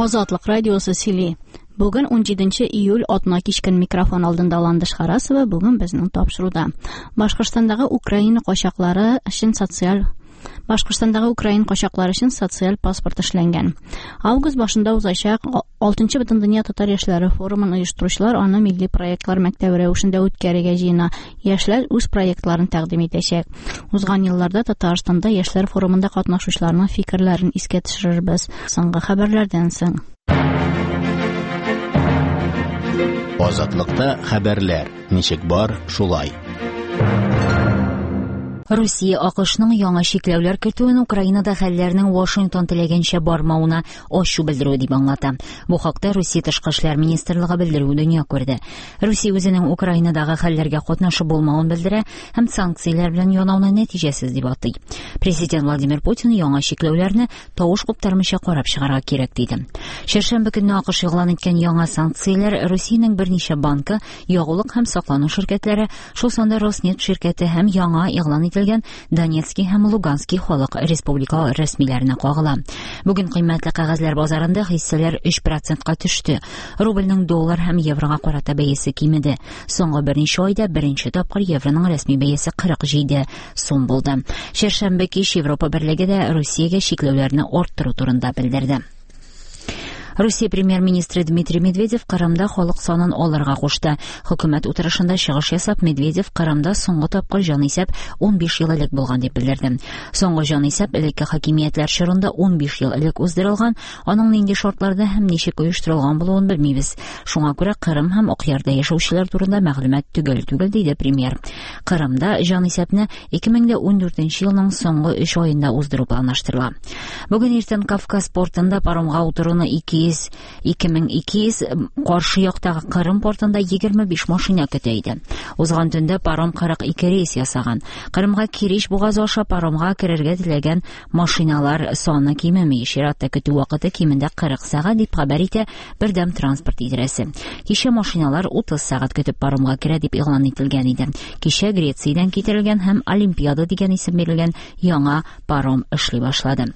Азатлык радиосы сөйли. Бүген 17 июль атна кичкен микрофон алдында Ландыш Харасова бүген безнең тапшыруда. Башкортстандагы Украина качаклары өчен социаль Башкортстандагы украин качаклары өчен социаль паспорт эшләнгән. Август башында узачак 6-нчы Бөтендөнья татар яшьләре форумын оештыручылар аны милли проектлар мәктәбе рәвешендә үткәрергә җыена. Яшьләр үз проектларын тәкъдим итәчәк. Узган елларда Татарстанда яшьләр форумында катнашучыларның фикерләрен искә төшерербез. Соңгы хәбәрләрдән соң. Азатлыкта хәбәрләр ничек бар, шулай. Русия АКШның яңа чикләүләр кертүен Украинада хәлләрнең Вашингтон теләгәнчә бармавына ачу белдерүе дип аңлата. Бу хакта Русия тышкы эшләр министрлыгы белдерүе дөнья күрде. Русия үзенең Украинадагы хәлләргә катнашы булмавын белдерә һәм санкцияләр белән янауны нәтиҗәсез дип атый. Президент Владимир Путин яңа чикләүләрне тавыш куптармыйча карап чыгарга кирәк диде. Чәршәмбе көнне АКШ игълан иткән яңа санкцияләр Русиянең берничә банкы, ягулык һәм саклану ширкәтләре, шул санда Роснефть ширкәте һәм яңа игълан ителгән Донецкий һәм Луганский халык республика рәсмиләренә кагыла. Бүген кыйммәтле кәгазьләр базарында хиссәләр 3%-ка төште. Рубльнең доллар һәм еврога карата бәясе кимеде. Соңгы берничә айда беренче тапкыр евроның рәсми бәясе 47 сум булды. Чәршәмбе кич Европа берлеге дә Русиягә чикләүләрне арттыру турында белдерде. Русия премьер-министры Дмитрий Медведев Кырымда халык санын алырга кушты. Хөкүмәт утырышында чыгыш ясап, Медведев Кырымда соңгы тапкыр җанисәп 15 ел элек булган дип белдерде. Соңгы җанисәп элекке хакимиятләр чорында 15 ел элек уздырылган, аның нинди шартларда һәм ничек оештырылган булуын белмибез. Шуңа күрә Кырым һәм Акъярда яшәүчеләр турында мәгълүмат төгәл түгел, диде премьер. Кырымда җанисәпне 2014 елның соңгы 3 аенда уздыру планлаштырыла. Бүген иртән Кавказ портында паромга утыруны 2200 каршы яктагы Кырым портында 25 машина көтә иде. Узган төндә паром 42 рейс ясаган. Кырымга Керич бугазы аша паромга керергә теләгән машиналар саны кимеми. Чиратта көтү вакыты кимендә 40 сәгать дип хәбәр итә Бердәм транспорт идарәсе. Кичә машиналар 30 сәгать көтеп паромга керә дип игълан ителгән иде. Кичә Грециядән китерелгән һәм Олимпиада дигән исем бирелгән яңа паром эшли башлады.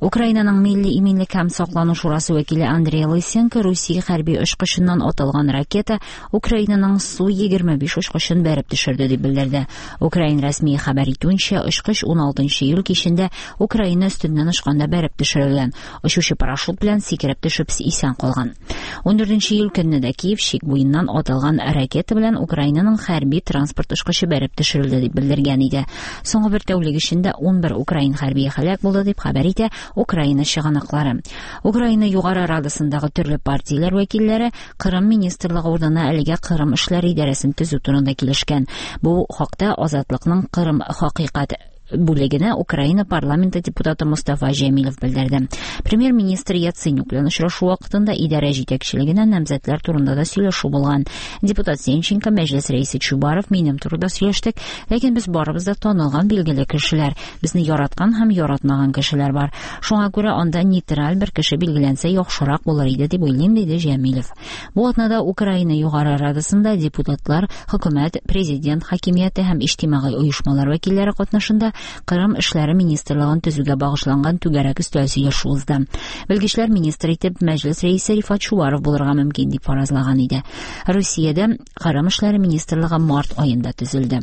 Украинаның Милли иминлек һәм саклану шурасы вәкиле Андрей Лысенко Русия хәрби очкычыннан атылган ракета Украинаның Су-25 очкычын бәреп төшерде дип белдерде. Украин рәсми хәбәр итүенчә, очкыч 16 июль кичендә Украина өстеннән очканда бәреп төшерелгән. Очучы парашют белән сикереп төшеп исән калган. 14 июль көнне дә Киев чик буеннан атылган ракета белән Украинаның хәрби транспорт очкычы бәреп төшерелде дип белдергән иде. Соңгы бер тәүлек эчендә 11 украин хәрбие һәлак булды дип хәбәр итә Украина чыганаклары. Украина Югары Радасындагы төрле партияләр вәкилләре Кырым министрлыгы урынына әлегә Кырым эшләре идарәсен төзү турында килешкән. Бу хакта Азатлыкның Кырым хакыйкать бүлегенә Украина парламенты депутаты Мустафа Җәмилев белдерде. Премьер-министр Яценюк белән очрашу вакытында идарә җитәкчелегенә намзәтләр турында да сөйләшү булган. Депутат Сенченко, мәҗлес рәисе Чубаров минем турыда сөйләштек, ләкин без барыбыз да танылган билгеле кешеләр. Безне яраткан һәм яратмаган кешеләр бар. Шуңа күрә анда нейтраль бер кеше билгеләнсә яхшырак булыр иде дип уйлыйм, диде Җәмилев. Бу атнада Украина Югары Радасында депутатлар, хөкүмәт, президент хакимияте һәм иҗтимагый оешмалар вәкилләре катнашында Кырым эшләре министрлыгын төзүгә багышланган түгәрәк өстәл сөйләшү узды. Белгечләр министр итеп мәҗлес рәисе Рифат Чубаров булырга мөмкин дип фаразлаган иде. Русиядә Кырым эшләре министрлыгы март аенда төзелде.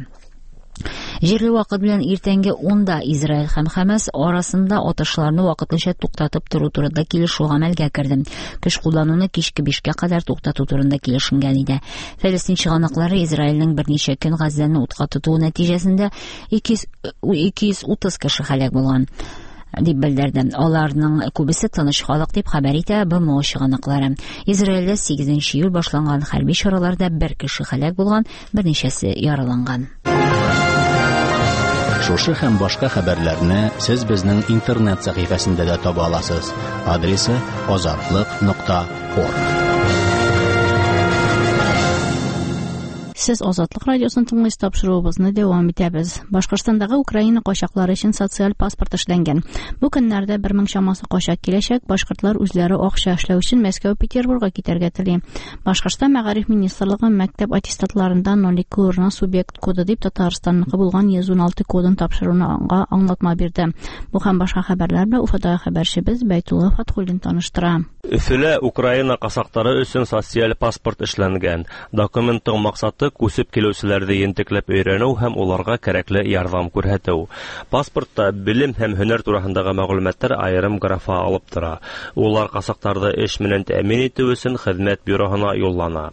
Җирле вакыт белән иртәнге 10-да Израиль һәм Хәмәс арасында атышларны вакытлыча туктатып тору турында килешү гамәлгә керде. Көч куллануны кичке 5-кә кадәр туктату турында килешенгән иде. Фәлестин чыганаклары Израильнең берничә көн Газзәне утка тотуы нәтиҗәсендә 230 кеше һәлак булган дип белдерде. Аларның күбесе тыныч халык дип хәбәр итә БМО чыганаклары. Израильдә 8 июль башланган хәрби чараларда бер кеше һәлак булган, берничәсе яраланган. Шушы һәм башка хәбәрләрне сез безнең интернет сәхифәсендә дә таба аласыз. Адресы azatliq.org. Сез Азатлык радиосын тыңлыйсыз, тапшыруыбызны дәвам итәбез. Башкортстандагы Украина качаклары өчен социаль паспорт эшләнгән. Бу көннәрдә 1000 чамасы качак киләчәк. Башкортлар үзләре акча эшләү өчен Мәскәү, Петербургка китәргә тели. Башкортстан Мәгариф министрлыгы мәктәп аттестатларында 02 урынына субъект коды дип Татарстанныкы булган 116 кодын тапшыруны аңлатма бирде. Бу һәм башка хәбәрләр белән Уфадагы хәбәрчебез Бәйтулла Фатхуллин таныштыра. Өфөлә Украина ҡасаҡтары өсөн социаль паспорт эшләнгән. Документтың маҡсаты күсеп килеүселәрҙе ентекләп өйрәнеү һәм уларға кәрәкле ярҙам күрһәтеү. Паспортта белем һәм һөнәр тураһындағы мәғлүмәттәр айырым графа алып тора. Улар ҡасаҡтарҙы эш менән тәьмин итеү өсөн хеҙмәт бюроһына юллана.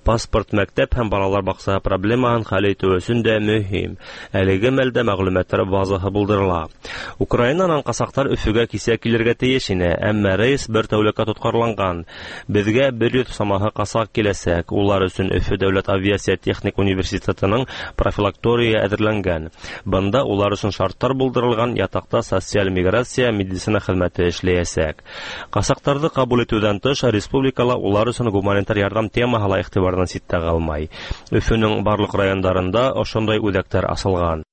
Паспорт мәктәп һәм балалар баҡсаһы проблемаһын хәл итеү өсөн дә мөһим. Әлеге мәлдә мәғлүмәттәр базаһы булдырыла. Украинанан ҡасаҡтар Өфөгә кисә килергә тейеш ине, әммә рейс бер тәүлеккә тотҡарланған. Беҙгә 100 самаһы ҡасаҡ киләсәк. Улар өсөн Өфө дәүләт авиация техник университетының профилакторияһы әҙерләнгән. Бында улар өсөн шарттар булдырылған, ятаҡта социаль миграция, медицина хеҙмәте эшләйәсәк. Ҡасаҡтарҙы ҡабул итеүҙән тыш, республикала улар өсөн гуманитар ярҙам темаһы ла иғтибарҙан ситтә ҡалмай. Өфөнөң барлыҡ райондарында ошондай үҙәктәр асылған.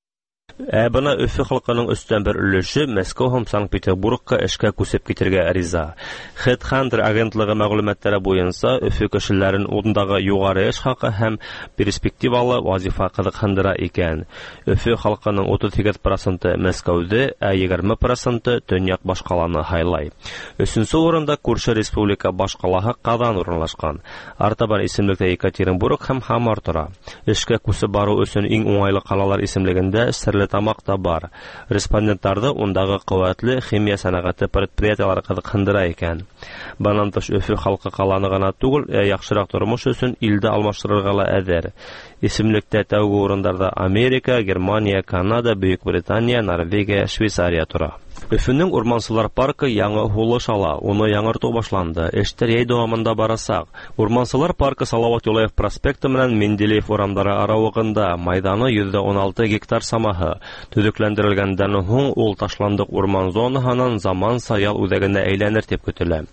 Ә бына Өфө халҡының 1/3 өлөшө Мәскәү һәм Санкт-Петербургка эшкә күсеп китергә риза. Headhunter агентлығы мәғлүмәттәре буйынса Өфө кешеләрен ундағы юғары эш хаҡы һәм перспективалы вазифа ҡыҙыҡһындыра икән. Өфө халҡының 38% Мәскәүҙе, ә 20% төньяҡ башҡаланы һайлай. Өсөнсө урында күрше республика башҡалаһы Ҡаҙан урынлашҡан. Артабан исемлектә Екатеринбург һәм Һамар тора. Эшкә күсеп барыу өсөн иң уңайлы ҡалалар исемлегендә Стәрлетамаҡ та бар. Респонденттарҙы ундағы ҡеүәтле химия сәнәғәте предприятиелары ҡыҙыҡһындыра икән. Бынан тыш Өфө халҡы ҡаланы ғына түгел, ә яҡшыраҡ тормош өсөн илде алмаштырырға ла әҙер. Исемлектә тәүге урындарҙа Америка, Германия, Канада, Бөйөк Британия, Норвегия, Швейцария тора. Өфөнөң урмансылар паркы яңы һулыш ала, уны яңыртыу башланды. Эштәр йәй дауамында барасаҡ. Урмансылар паркы Салауат Юлаев проспекты менән Менделеев урамдары арауығында, майҙаны 116 гектар самаһы. Төҙөкләндерелгәндән һуң ул ташландыҡ урман зонаһынан заманса ял үҙәгенә әйләнер тип көтөлә.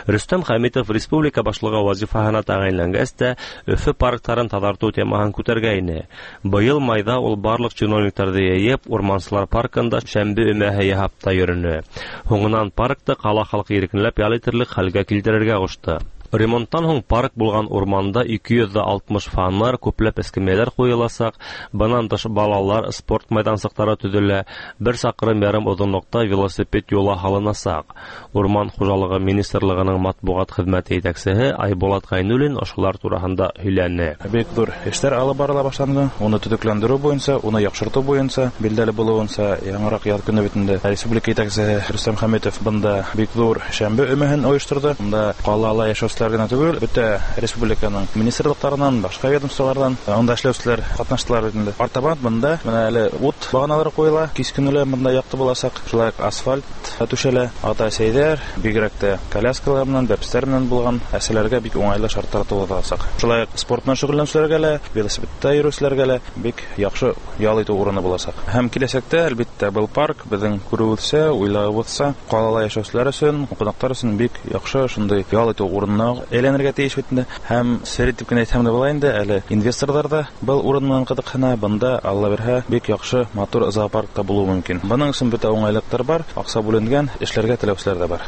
Рөстәм Хәмитов республика башлығы вазифаһына тәғәйенләнгәс тә Өфө парктарын таҙартыу темаһын күтәргәйне. Быйыл майҙа ул барлыҡ чиновниктарҙы йыйып, урмансылар паркында шәмбе өмәһе яһап та йөрөнө. Һуңынан паркты ҡала халҡы иркенләп ял итерлек хәлгә килтерергә ҡушты. Ремонттан һуң парк булған урманда 260 фонарь, күпләп эскәмйәләр ҡуйыласаҡ. Бынан тыш балалар спорт майҙансыҡтары төҙөлә, 1,5 саҡрым оҙонлоҡта велосипед юлы һалынасаҡ. Урман хужалығы министрлығының матбуғат хеҙмәте етәксеһе Айбулат Ғәйнуллин ошолар тураһында һөйләне. Бик ҙур эштәр алып барыла башланды. Уны төҙөкләндереү буйынса, уны яҡшыртыу буйынса, билдәле булыуынса, яңыраҡ яҙ көнө бит инде республика етәксеһе Рөстәм Хәмитов бында бик ҙур шәмбе өмәһен ойошторҙо. Бында ҡалала йәшәүселәр генә түгел, бөтә республиканың министрлыҡтарынан, башҡа ведомстволарҙан унда эшләүселәр ҡатнаштылар бит инде. Артабан бында менә әле ут бағаналары ҡуйыла, кис көнө лә бында яҡты буласаҡ. Шулай уҡ асфальт түшәлә. Ата-әсәйҙәр, бигерәк тә коляскалар менән, бәпестәр менән булған әсәләргә бик уңайлы шарттар тыуҙырыласаҡ. Шулай уҡ спорт менән шөғөлләнеүселәргә лә, велосипедта йөрөүселәргә лә бик яҡшы ял итеү урыны буласаҡ. Һәм киләсәктә, әлбиттә, был парк беҙҙең күреүебеҙсә, уйлауыбыҙса, ҡалала йәшәүселәр өсөн, ҡунаҡтар өсөн бик яҡшы шундай ял итеү урынына әйләнергә тейеш бит инде. Һәм сер итеп кенә әйтһәм дә була инде, әле инвесторҙар ҙа был урын менән ҡыҙыҡһына. Бында, Алла бирһә, бик яҡшы матур зоопарк та булыуы мөмкин. Бының өсөн бөтә уңайлыҡтар бар, аҡса бүленгән, эшләргә теләүселәр ҙә бар.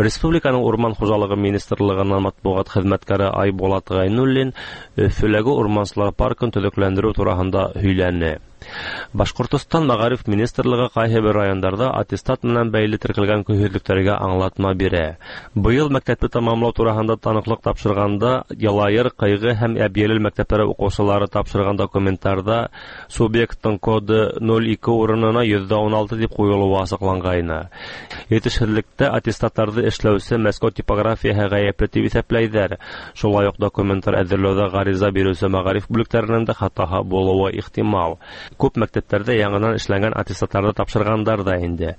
Республиканың Урман хужалығы министрлығынан матбуғат хеҙмәткәре Айбулат Ғәйнуллин Өфөләге урмансылар паркын төҙөкләндереү тураһында һөйләне. Башҡортостан Мәғариф министрлығы ҡайһы бер райондарҙа аттестат менән бәйле теркәлгән көйһөҙлөктәргә аңлатма бирә. Быйыл мәктәпте тамамлау тураһында таныҡлыҡ тапшырғанда Ялайыр, Ҡыйғы һәм Әбйәлил мәктәптәре уҡыусылары тапшырған документтарҙа субъекттың коды 02 урынына 16% тип ҡуйылыуы асыҡланғайны. Етешһеҙлектә аттестаттарҙы эшләүсе Мәскәү типографияһы ғәйепле тип иҫәпләйҙәр. Шулай уҡ документтар әҙерләүҙә ғариза биреүсе мәғариф бүлектәренең дә хатаһы булыуы ихтимал. Күп мәктәптәрҙә яңынан эшләнгән аттестаттарҙы тапшырғандар ҙа инде.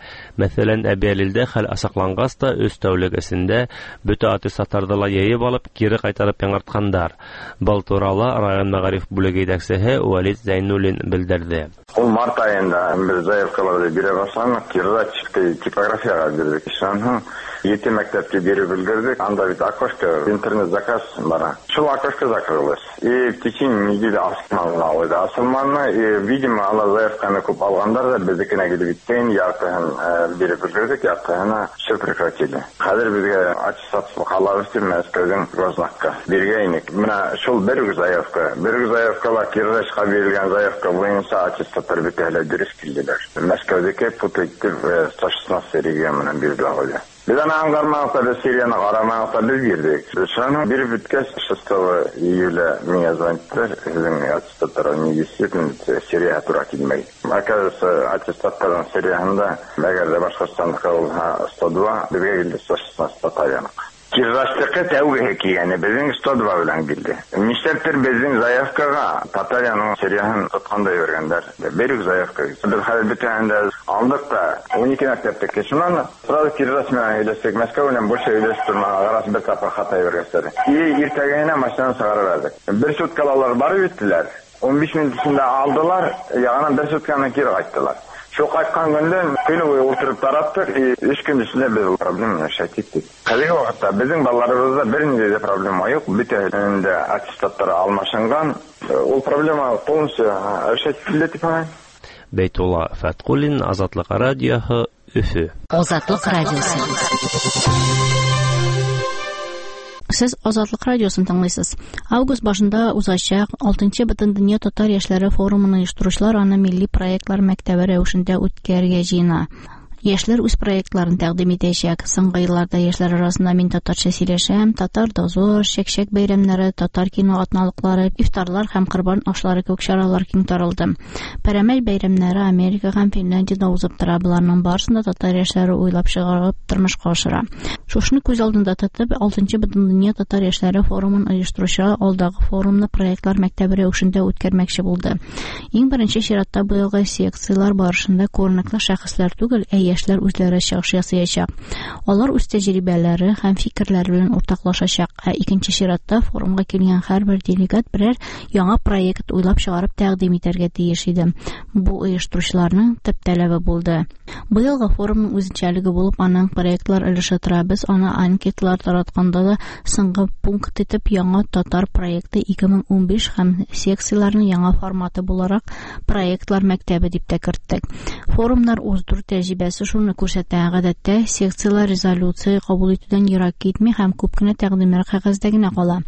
Мәҫәлән, Әбйәлилдә хәл асыҡланғас та 3 тәүлек эсендә бөтә аттестаттарҙы ла йыйып алып, кире ҡайтарып яңыртҡандар. Был турала район мәғариф бүлеге етәксеһе Вәлит Зәйнуллин белдерҙе. Ул март айында беҙ заявкаларҙы бирә башланыҡ, Кирзачский типографияға бирҙек. Шунан һуң 7 мәктәпкә биреп өлгөрҙөк. Анда бит окошко, интернет-заказ бара. Шул окошко закрылось. И в течение недели асылманы. Асылманы, и, видимо, ала заявканы күп алғандар да беҙҙекенә килеп еткән, яртыһын биреп өлгөрҙөк, яртыһына все прекратили. Хәҙер беҙгә аттестат ҡалабыҙ тип Мәскәүҙең гознакка биргәйнек. Менә шул бер заявка, бер заявкала Кирзачҡа бирелгән заявка буйынса аттестаттар бөтәһе лә дөрөҫ килделәр. Мәскәүҙеке путать итеп 116 регион менән бирҙе. Без аны аңгармадык та, без серияны карамадык та, без бирдек. Шуны биреп беткәч, 6 июля миңа звониттылар, сезнең аттестаттар недействительный, серия тура килмәй. Оказывается, аттестаттарның серияһында, әгәр дә Башкортстандыкы булһа 102, безгә килде 116 Татарияныкы. Киржачтыкы тәүгеһе килгәне безнең 102 белән килде. Нишләптер безнең заявкага Татарияның серияһын тотканда йөргәннәр. Бер үк заявка. Без хәзер бөтенен дә алдык та 12 мәктәптеке. Шуннан сразу Киржач белән сөйләштек. Мәскәү белән больше сөйләшеп тормадык. Раз бер тапкыр хата йөргәчләр. И иртәгә машинаны чыгарып алдык. Бер суткалар алар барып җиттеләр. 15 минут эчендә алдылар, ягынан бер сутканы кире кайттылар. Шул кайткан көндән көне буе утырып тараттык, и 3 көн эчендә без ул проблеманы решать иттек. Хәзерге вакытта безнең балаларыбызда бернинди дә проблема юк, бөтәһенең дә аттестаттары алмашынган. Ул проблема полностью решать ителде дип саныйм. Бәйтулла Фәткуллин, Азатлык радиоһы, Өфө. Азатлык радиосы. Сез Азатлык радиосын тыңлыйсыз. Август башында узачак 6-нчы Бөтендөнья татар яшьләре форумын оештыручылар аны милли проектлар мәктәбе рәвешендә үткәрергә җыена. Яшьләр үз проектларын тәкъдим итәчәк. Соңгы елларда яшьләр арасында мин татарча сөйләшәм, татар дозор, чәкчәк бәйрәмнәре, татар кино атналыклары, ифтарлар һәм корбан ашлары кебек чаралар киң таралды. Пәрәмәч бәйрәмнәре Америка һәм Финляндиядә узып тора. Боларның барысын да татар яшьләре уйлап чыгарып тормышка ашыра. Шушыны күз алдында тотып, 6-нчы Бөтендөнья татар яшьләре форумын оештыручылар алдагы форумны проектлар мәктәбе рәвешендә үткәрмәкче булды. Иң беренче чиратта быелгы секцияләр барышында күренекле шәхесләр түгел, ә яшьләр үзләре чыгыш ясаячак. Алар үз тәҗрибәләре һәм фикерләре белән уртаклашачак. Ә икенче чиратта форумга килгән һәрбер делегат берәр яңа проект уйлап чыгарып тәкъдим итәргә тиеш иде. Бу оештыручыларның төп таләбе булды. Быелгы форумның үзенчәлеге булып аның проектлар өлеше тора. Без аны анкеталар таратканда да соңгы пункт итеп яңа татар проекты 2015 һәм секцияләрнең яңа форматы буларак проектлар мәктәбе дип тә керттек. Форумнар уздыру тәҗрибәсе шуны күрсәтә. Гадәттә секцияләр резолюция кабул итүдән ерак китми һәм күп кенә тәкъдимнәр кәгазьдә генә кала.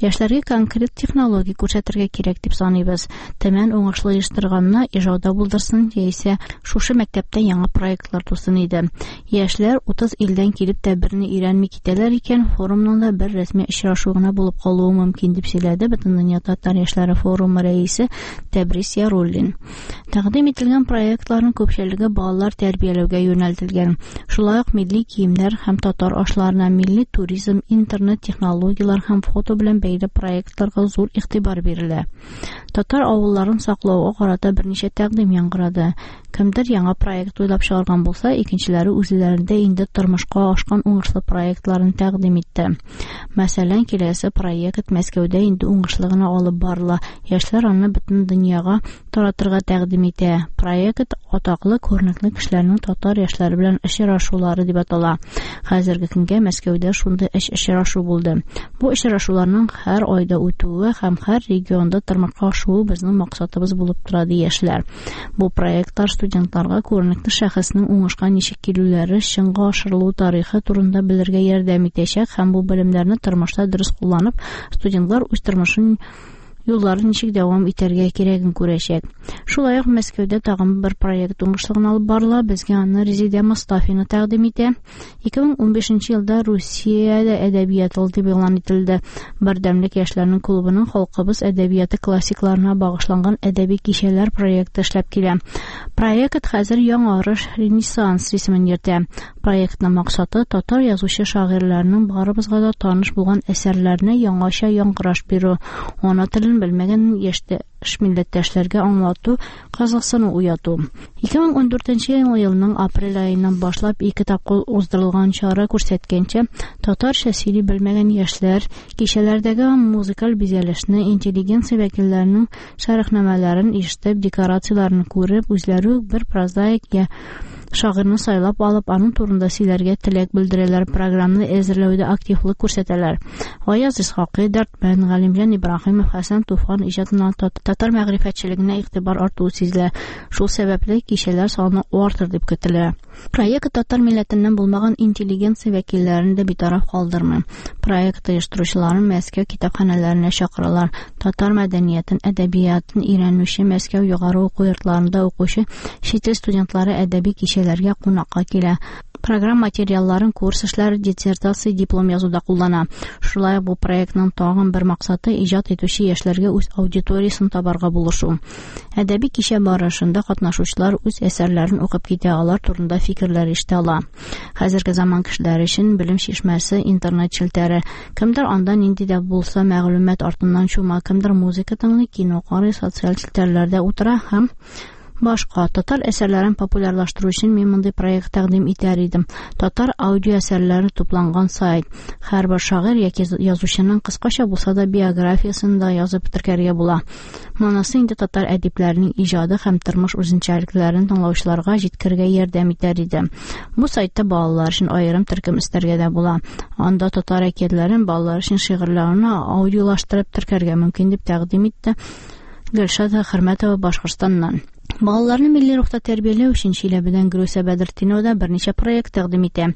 Яшьләргә конкрет технология күрсәтергә кирәк дип саныйбыз. Төмән уңышлы оештырганны Ижауда булдырсын, яисә шушы мәктәптә яңа проектлар тусын иде. Яшьләр 30 илдән килеп тә берни өйрәнми китәләр икән, форумның да бер рәсми очрашу гына булып калуы мөмкин дип сөйләде Бөтендөнья татар яшьләре форумы рәисе Тәбрис Яруллин. Тәкъдим ителгән проектларның күпчелеге балалар тәрбияләүгә юнәлтелгән. Шулай ук милли киемнәр һәм татар ашларына, милли туризм, интернет технологияләр һәм фото белән бәйле проектларга зур игътибар бирелә. Татар авылларын саклауга карата берничә тәкъдим яңгырады. Кемдер яңа проект уйлап чыгарган булса, икенчеләре үзләрендә инде тормышка ашкан уңышлы проектларын тәкъдим итте. Мәсәлән, киләсе проект Мәскәүдә инде уңышлы гына алып барыла. Яшьләр аны бөтен дөньяга таратырга тәкъдим итә. Проект атаклы күренекле кешеләрнең татар яшьләре белән очрашулары дип атала. Хәзерге көнгә Мәскәүдә шундый өч очрашу булды. Бу очрашуларның һәр айда үтүе һәм һәр регионда тормышка ашуы безнең максатыбыз булып тора, ди яшьләр. Бу проектлар студентларга күренекле шәхеснең уңышка ничек килүләре, чынга ашырылу тарихы турында белергә ярдәм итәчәк һәм бу белемнәрне тормышта дөрес кулланып, студентлар үз тормышын юлларын ничек дәвам итәргә кирәген күрәчәк. Шулай ук Мәскәүдә тагын бер проект уңышлы гына алып барыла. Безгә аны Резидә Мостафина тәкъдим итә. 2015 елда Русиядә әдәбият елы дип игълан ителде. Бердәмлек яшьләрнең клубының халкыбыз әдәбияты классикларына багышланган әдәби кичәләр проекты эшләп килә. Проект хәзер Яңарыш Ренессанс исемен йөртә. Проектның максаты татар язучы шагыйрьләренең барыбызга да таныш булган әсәрләренә яңача яңгыраш бирү, ана телен белмәгән яшьтәш милләттәшләргә аңлату, кызыксыну уяту. 2014 елның апрель аеннан башлап ике тапкыр уздырылган чара күрсәткәнчә, татарча сөйли белмәгән яшьләр кичәләрдәге музыкаль бизәлешне, интеллигенция вәкилләренең шәрехнамәләрен ишетеп, декорацияләрен күреп, үзләре үк бер прозаик я шагыйрьне сайлап алып, аның турында сөйләргә теләк белдерәләр, программаны әзерләүдә активлык күрсәтәләр. Гаяз Исхакый, Дәрдмәнд, Галимҗан Ибраһимов, Хәсән Туфан иҗатына татар мәгърифәтчелегенә игътибар артуы сизелә. Шул сәбәпле кичәләр саны артыр дип көтелә. Проект татар милләтеннән булмаган интеллигенция вәкилләрен дә битараф калдырмый. Проект оештыручыларын Мәскәү китапханәләренә чакыралар. Татар мәдәниятен, әдәбиятын өйрәнүче Мәскәү югары уку йортларында укучы чит ил студентлары әдәби кичәләр кичәләргә кунакка килә. Программа материалларын курс эшләре, диссертация, диплом язуда куллана. Шулай ук бу проектның тагын бер максаты иҗат итүче яшьләргә үз аудиториясен табарга булышу. Әдәби кичә барышында катнашучылар үз әсәрләрен укып китә, алар турында фикерләр ишетә ала. Хәзерге заман кешеләре өчен белем чишмәсе интернет челтәре. Кемдер анда нинди дә булса мәгълүмат артыннан чума, кемдер музыка тыңлый, кино карый, социаль челтәрләрдә утыра һәм башка. Татар әсәрләрен популярлаштыру өчен мин мондый проект тәкъдим итәр идем. Татар аудио әсәрләре тупланган сайт. Һәрбер шагыйрь яки язучының кыскача булса да биографиясын да язып теркәргә була. Монысы инде татар әдипләренең иҗады һәм тормыш үзенчәлекләрен тыңлаучыларга җиткерергә ярдәм итәр иде. Бу сайтта балалар өчен аерым төркем өстәргә дә була. Анда татар әкиятләрен, балалар өчен шигырьләрне аудиолаштырып теркәргә мөмкин дип тәкъдим итте Гөлшат Хөрмәтова Башкортстаннан. Балаларны милли рухта тәрбияләү өчен Чиләбедән Гөлүсә Бәдертдинова да берничә проект тәкъдим итә.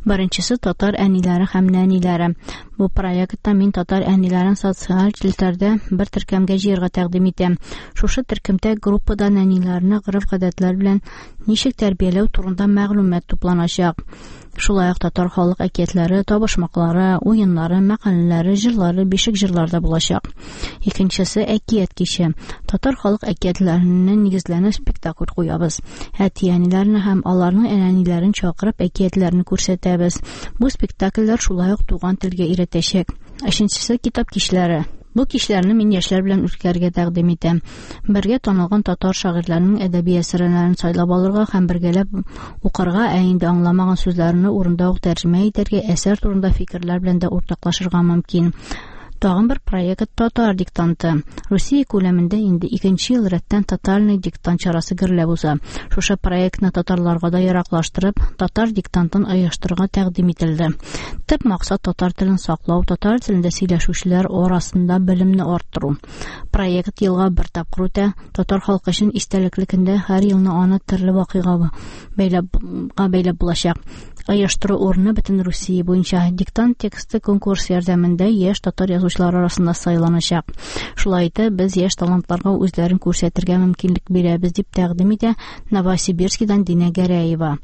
Беренчесе татар әниләре һәм нәниләре. Бу проектта мин татар әниләрен социаль челтәрдә бер төркемгә җыярга тәкъдим итәм. Шушы төркемдә группада нәниләрне гореф-гадәтләр белән ничек тәрбияләү турында мәгълүмат тупланачак. Шулай ук татар халык әкиятләре, табышмаклары, уеннары, мәкаләләре, җырлары, бишек җырлары да булачак. Икенчесе әкият киче. Татар халык әкиятләренә нигезләнеп спектакль куябыз. Әти-әниләрне һәм аларның әниләрен чакырып әкиятләрне күрсәтәбез. Бу спектакльләр шулай ук туган телгә өйрәтәчәк. Өченчесе китап кичләре. Бу кичләрне мин яшьләр белән үткәрергә тәкъдим итәм. Бергә танылган татар шагыйрьләренең әдәби әсәрләрен сайлап алырга һәм бергәләп укырга, ә инде аңламаган сүзләрне урында ук тәрҗемә итәргә, әсәр турында фикерләр белән дә уртаклашырга мөмкин. Тагын бер проект Татар диктанты. Русия күләмендә инде икенче ел рәттән тотальный диктант чарасы гөрләп уза. Шушы проектны татарларга да яраклаштырып, татар диктантын оештырырга тәкъдим ителде. Төп максат татар телен саклау, татар телендә сөйләшүчеләр арасында белемне арттыру. Проект елга бер тапкыр үтә. Татар халкы өчен истәлекле көндә һәр елны аны төрле вакыйга бәйләп булачак. Оештыру урыны бөтен Русия буенча. Диктант тексты конкурс ярдәмендә яшь татар язучылары арасында сайланачак. Шулай итеп, без яшь талантларга үзләрен күрсәтергә мөмкинлек бирәбез, дип тәкъдим итә Новосибирскидан Динә Гәрәева.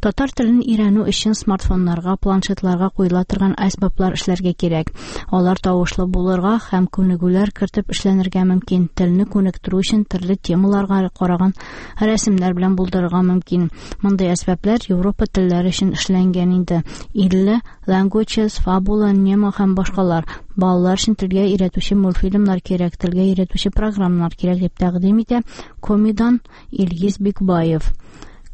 Татар телен өйрәнү өчен смартфоннарга, планшетларга куела торган әсбаплар эшләргә кирәк. Алар тавышлы булырга һәм күнегүләр кертеп эшләнергә мөмкин. Телне күнектерү өчен төрле темаларга караган рәсемнәр белән булдырырга мөмкин. Мондый әсбаплар Европа телләре өчен эшләнгән инде. 50 Languages, Fabula, Nemo һәм башкалар. Балалар өчен телгә өйрәтүче мультфильмнар кирәк, телгә өйрәтүче программалар кирәк дип тәкъдим итә Комидан Илгиз Бикбаев.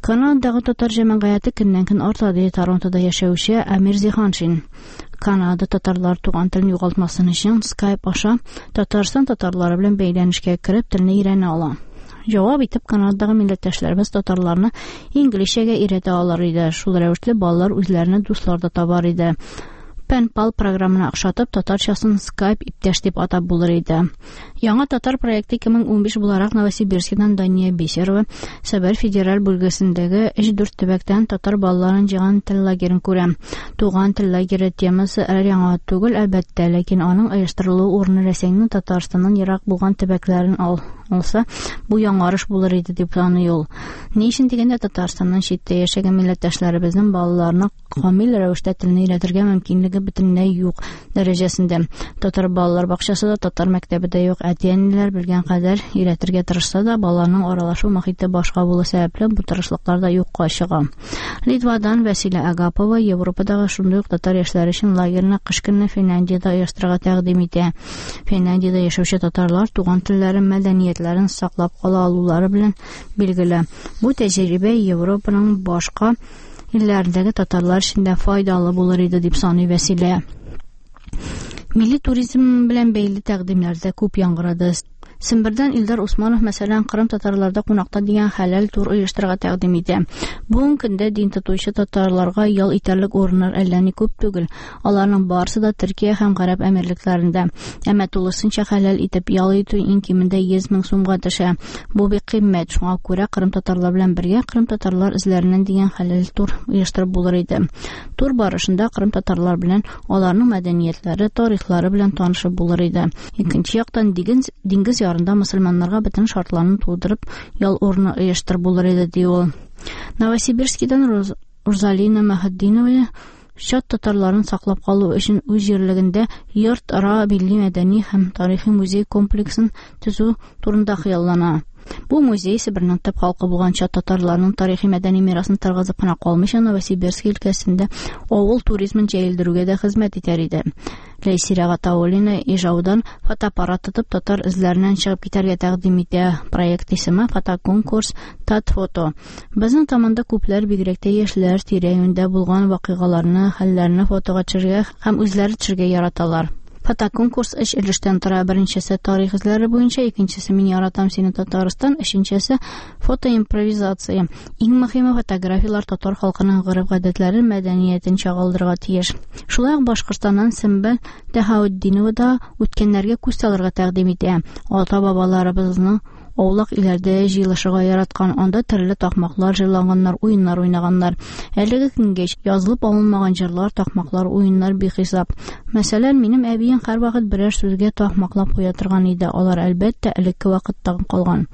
Канададагы татар җәмәгыяте көннән-көн арта, ди Торонтода яшәүче Амир Зиһаншин. Канада татарлар туган телен югалтмасын өчен Skype аша Татарстан татарлары белән бәйләнешкә кереп телне өйрәнә ала. Җавап итеп Канададагы милләттәшләребез татарларны инглизчәгә өйрәтә алыр иде. Шул рәвешле балалар үзләренә дуслар да табар иде. Пенпал программына охшатып татарчасын Skype иптәш дип атап булыр иде. Яңа татар проекты 2015 буларак Новосибирскидан Дания Бисерова Себер федераль бүлгесендәге 3-4 төбәктән татар балаларын җыйган тел лагерен күрә. Туган тел лагере темасы яңа түгел, әлбәттә, ләкин аның оештырылу урыны Рәсәйнең Татарстаннан ерак булган төбәкләрен алса, бу яңарыш булыр иде дип саный ул. Ни өчен дигәндә, Татарстаннан читтә яшәгән милләттәшләребезнең балаларына камил рәвештә телне өйрәтергә мөмкинлеге бөтенләй юк дәрәҗәсендә. Татар балалар бакчасы да, татар мәктәбе дә юк. Әти-әниләр белгән кадәр өйрәтергә тырышса да, балаларның аралашу мохите башка булу сәбәпле бу тырышлыклар да юкка чыга. Литвадан Василия Агапова Европадагы шундый ук татар яшьләре өчен лагерьны кыш көне Финляндиядә оештырырга тәкъдим итә. Финляндиядә яшәүче татарлар туган телләрен, мәдәниятләрен саклап кала алулары белән билгеле. Бу тәҗрибә Европаның башка илләрендәге татарлар өчен дә файдалы булыр иде дип саный Вәсилә. Милли туризм белән бәйле тәкъдимнәр дә күп яңгырады. Сембердән Илдар Усманов, мәсәлән, Кырым татарларда кунакта дигән хәләл тур оештырырга тәкъдим итә. Бүгенге көндә дин тотучы татарларга ял итәрлек урыннар әллә ни күп түгел. Аларның барысы да Төркия һәм Гарәп Әмирлекләрендә. Әмма тулысынча хәләл итеп ял итү иң кимендә 100 мең сумга төшә. Бу бик кыйммәт. Шуңа күрә Кырым татарлар белән бергә Кырым татарлар эзләреннән дигән хәләл тур оештырып булыр иде. Тур барышында Кырым татарлар белән аларның мәдәниятләре, тарихлары белән танышып булыр иде. Икенче яктан диңгез ярында мөселманнарга бөтен шартларны тудырып, ял урыны оештырып булыр иде, ди ул. Новосибирскидан Рузалина Мәһетдинова чат татарларын саклап калу өчен үз җирлегендә йорт-ара милли мәдәни һәм тарихи музей комплексын төзү турында хыяллана. Бу музей Себернең төп халкы булган чат татарларының тарихи мәдәни мирасын торгызып кына калмыйча, Новосибирск өлкәсендә авыл туризмын җәелдерүгә дә хезмәт итәр иде. Ләйсирә Гатауллина Ижаудан фотоаппарат тотып татар эзләреннән чыгып китәргә тәкъдим итә. Проект исеме фотоконкурс Татфото. Безнең заманда күпләр, бигрәк тә яшьләр, тирә-юньдә булган вакыйгаларны, хәлләрне фотога төшерергә һәм үзләре төшерергә яраталар. Фотоконкурс өч өлештән тора. Беренчесе тарих эзләре буенча, икенчесе Мин яратам сине Татарстан, өченчесе фотоимпровизация. Иң мөһиме фотографияләр татар халкының гореф-гадәтләрен, мәдәниятен чагылдырырга тиеш. Шулай ук Башкортстаннан Сөмбел Тәһаутдинова да үткәннәргә күз салырга тәкъдим итә. Ата-бабаларыбызның аулак өйләрдә җыелышырга яраткан, анда төрле такмаклар җырлаганнар, уеннар уйнаганнар. Әлеге көнгә язылып алынмаган җырлар, такмаклар, уеннар бихисап. Мәсәлән, минем әбием һәрвакыт берәр сүзгә такмаклап куя торган иде. Алар, әлбәттә, элекке вакыттан калган.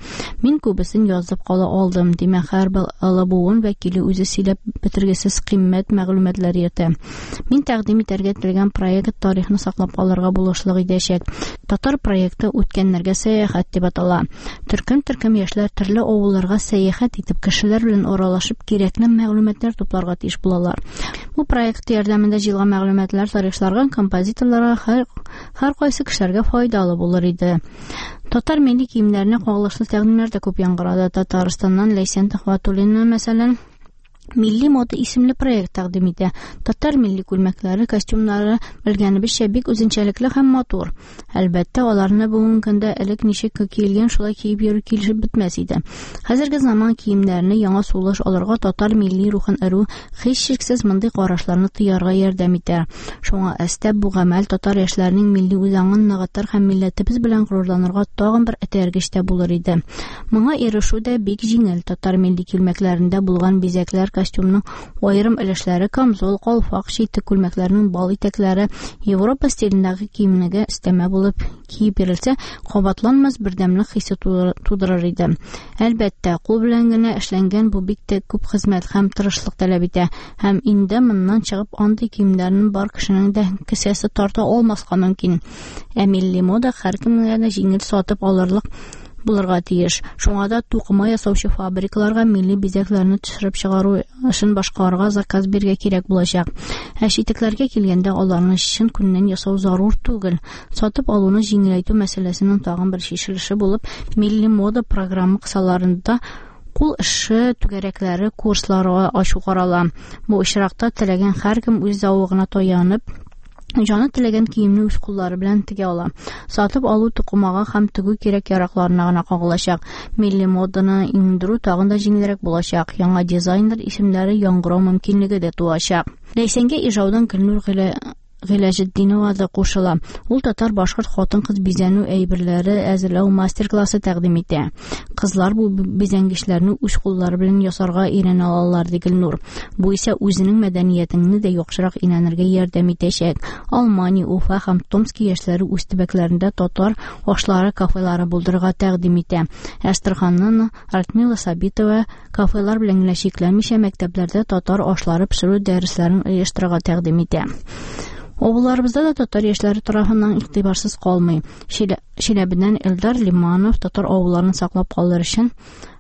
Мин күбесен язып кала алдым. Димәк, һәрбер олы буын вәкиле үзе сөйләп бетергесез кыйммәт мәгълүматлар йөртә. Мин тәкъдим итәргә теләгән проект тарихны саклап калырга булышлык итәчәк. Татар проекты үткәннәргә сәяхәт дип атала. Төркем-төркем яшьләр төрле авылларга сәяхәт итеп, кешеләр белән аралашып, кирәкле мәгълүматлар тупларга тиеш булалар. Бу проект ярдәмендә җыелган мәгълүматлар тарихчыларга, композиторларга, һәр кайсы кешеләргә файдалы булыр иде. Татар милли киемнәренә кагылышлы тәкъдимнәр дә күп яңгырады. Татарстаннан Ләйсән Төхвәтуллина, мәсәлән, Милли мода исемле проект тәкъдим итә. Татар милли күлмәкләре, костюмнары, белгәнебезчә, бик үзенчәлекле һәм матур. Әлбәттә, аларны бүгенге көндә элек ничек киелгән, шулай киеп йөрү килешеп бетмәс иде. Хәзерге заман киемнәрне яңа сулыш алырга татар милли рухын өрү һичшиксез мондый карашларны тыярга ярдәм итә. Шуңа өстәп, бу гамәл татар яшьләренең милли үзаңын ныгытыр һәм милләтебез белән горурланырга тагын бер этәргеч тә булыр иде. Моңа ирешү дә бик җиңел. Татар милли күлмәкләрендә булган бизәкләр, костюмның аерым өлешләре, камзол, калфак, читек күлмәкләрнең бал итәкләре Европа стилендәге киемнеге өстәмә булып киеп йөрелсә, кабатланмас бердәмлек хисе тудырыр иде. Әлбәттә, кул белән генә эшләнгән бу бик тә күп хезмәт һәм тырышлык таләп итә. Һәм инде моннан чыгып андый киемнәрне бар кешенең дә кесәсе тарта алмаска мөмкин. Ә милли мода һәркемгә дә җиңел сатып алырлык булырга тиеш. Шуңа да тукыма ясаучы фабрикаларга милли бизәкләрне төшереп чыгару эшен башкарырга заказ бирергә кирәк булачак. Ә читекләргә килгәндә, аларны чын күннән ясау зарур түгел. Сатып алуны җиңеләйтү мәсьәләсенең тагын бер чишелеше булып, милли мода программа кысаларында кул эше түгәрәкләре, курслары ачу карала. Бу очракта теләгән һәркем үз зәвыгына таянып, җаны теләгән киемне үз куллары белән тегә ала. Сатып алу тукымага һәм тегү кирәк-яракларына гына кагылачак. Милли моданы иңдерү тагын да җиңелрәк булачак. Яңа дизайнер исемнәре яңгырау мөмкинлеге дә туачак. Ләйсәнгә Ижаудан Гөлнур Гыйләҗетдинова да кушыла. Ул татар-башкорт хатын-кыз бизәнү әйберләре әзерләү мастер-классы тәкъдим итә. Кызлар бу бизәнгечләрне үз куллары белән ясарга өйрәнә алалар, ди Гөлнур. Бу исә үзенең мәдәниятеңне дә яхшырак өйрәнергә ярдәм итәчәк. Алмания, Уфа һәм Томски яшьләре үз төбәкләрендә татар ашлары кафелары булдырырга тәкъдим итә. Әстерханнан Радмила Сабитова кафелар белән генә чикләнмичә мәктәпләрдә татар ашлары пешерү дәресләрен оештырырга тәкъдим итә. Авылларыбызда да татар яшьләре тарафыннан игътибарсыз калмый. Чиләбедән Элдар Лиманов татар авылларын саклап калыр өчен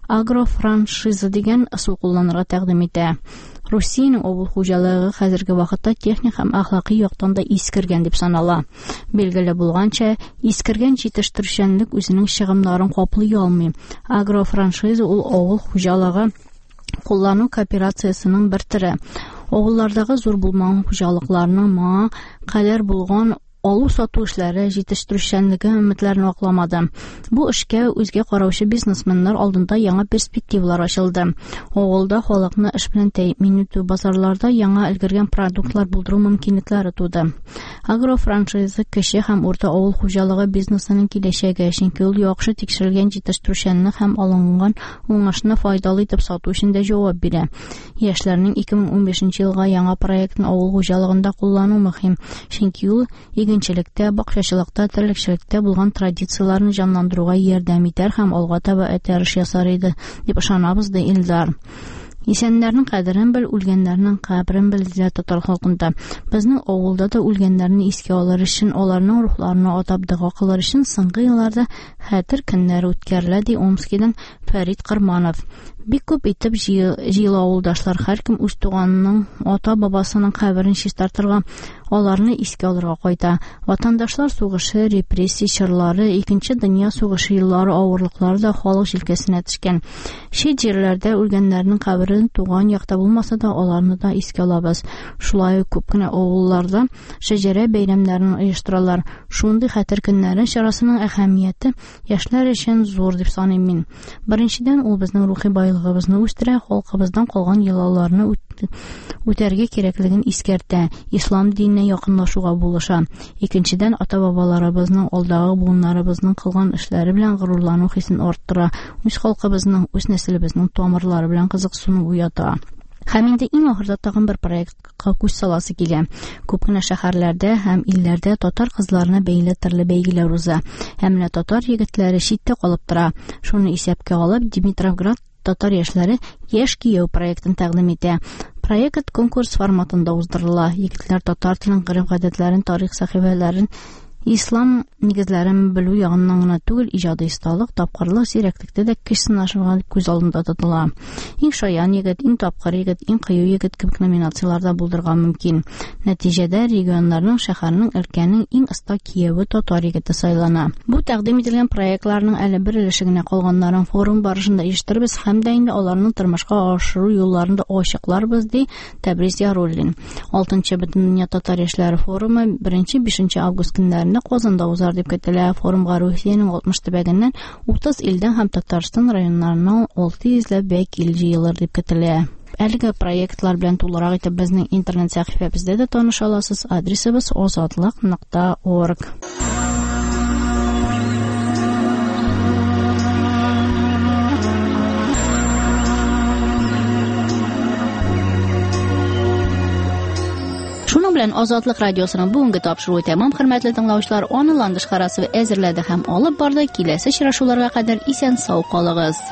агрофраншиза дигән ысул кулланырга тәкъдим итә. Русиянең авыл хуҗалыгы хәзерге вакытта техник һәм әхлакый яктан да искергән дип санала. Билгеле булганча, искергән җитештерүчәнлек үзенең чыгымнарын каплый алмый. Агрофраншиза ул авыл хуҗалыгы куллану кооперациясенең бер төре. Авыллардагы зур булмаган хуҗалыкларның моңа кадәр булган алу-сату эшләре җитештерүчәнлеге өметләрен акламады. Бу эшкә үзгә караучы бизнесменнар алдында яңа перспективалар ачылды. Авылда халыкны эш белән тәэмин итү, базарларда яңа өлгергән продуктлар булдыру мөмкинлекләре туды. Агрофраншиза кече һәм урта авыл хуҗалыгы бизнесының киләчәге, чөнки ул яхшы тикшерелгән җитештерүчәнлек һәм алынган уңышны файдалы итеп сату өчен дә җавап бирә. Яшьләрнең 2015 елга яңа проектын авыл хуҗалыгында куллану мөһим, чөнки ул Игенчелектә, бакчачылыкта, терлекчелектә булган традицияләрне җанландыруга ярдәм итәр һәм алга таба этәреш ясар иде, дип ышанабыз, ди Илдар. Исәннәрнең кадерен бел, үлгәннәрнең каберен бел, диләр татар халкында. Безнең авылда да үлгәннәрне искә алыр өчен, аларның рухларына атап дога кылыр өчен соңгы елларда хәтер көннәре үткәрелә, ди Омскидан Фәрит Кырманов. Бик күп итеп җыела авылдашлар, һәркем үз туганының, ата-бабасының каберен чистартырга, аларны искә алырга кайта. Ватандашлар сугышы, репрессия чорлары, Икенче дөнья сугышы еллары авырлыклары да халык җилкәсенә төшкән. Чит җирләрдә үлгәннәрнең кабере туган якта булмаса да, аларны да искә алабыз. Шулай ук күп кенә авылларда шәҗәрә бәйрәмнәрен оештыралар. Шундый хәтер көннәре чарасының әһәмияте яшьләр өчен зур дип саныйм мин. Беренчедән, ул безнең рухи байлыгыбызны үстерә, халкыбыздан калган йолаларны үтәргә кирәклеген искәртә, ислам диненә якынлашуга булыша. Икенчедән, ата-бабаларыбызның, алдагы буыннарыбызның кылган эшләре белән горурлану хисен арттыра, үз халкыбызның, үз нәселебезнең тамырлары белән кызыксыну уята. Һәм инде иң ахырда тагын бер проектка күз саласы килә. Күп кенә шәһәрләрдә һәм илләрдә татар кызларына бәйле төрле бәйгеләр уза. Һәм менә татар егетләре читтә калып тора. Шуны исәпкә алып, Димитровград татар яшьләре Яшь кияү проектын тәкъдим итә. Проект конкурс форматында уздырыла. Егетләр татар телен, гореф-гадәтләрен, тарих сәхифәләрен, ислам нигезләрен белү ягыннан гына түгел, иҗади осталык, тапкырлык, зирәклектә дә көч сынашырга күз алдында тотыла. Иң шаян егет, иң тапкыр егет, иң кыю егет кебек номинацияләрдә булдырырга мөмкин. Нәтиҗәдә регионнарның, шәһәрнең, өлкәнең иң оста кияве татар егете сайлана. Бу тәкъдим ителгән проектларның әле бер өлеше генә, калганнарын форум барышында оештырырбыз һәм дә инде аларны тормышка ашыру юлларын да ачыкларбыз, ди Тәбрис Яруллин. 6нчы Бөтендөнья татар яшьләре форумы 1-5 август көннәрендә Казанда узар дип көтелә. Форумга Русиянең 60 төбәгеннән 30 илдән һәм Татарстан районнарыннан 600 ләп вәкил җыелыр дип көтелә. Әлеге проектлар белән тулырак итеп безнең интернет сәхифәбездә дә таныша аласыз. Адресыбыз озатлык.орг. Шуның белән Азатлык радиосының бүгенге тапшыруы тәмам, хөрмәтле тыңлаучылар. Аны Ландыш Харасова әзерләде һәм алып барды. Киләсе очрашуларга кадәр исән сау калыгыз.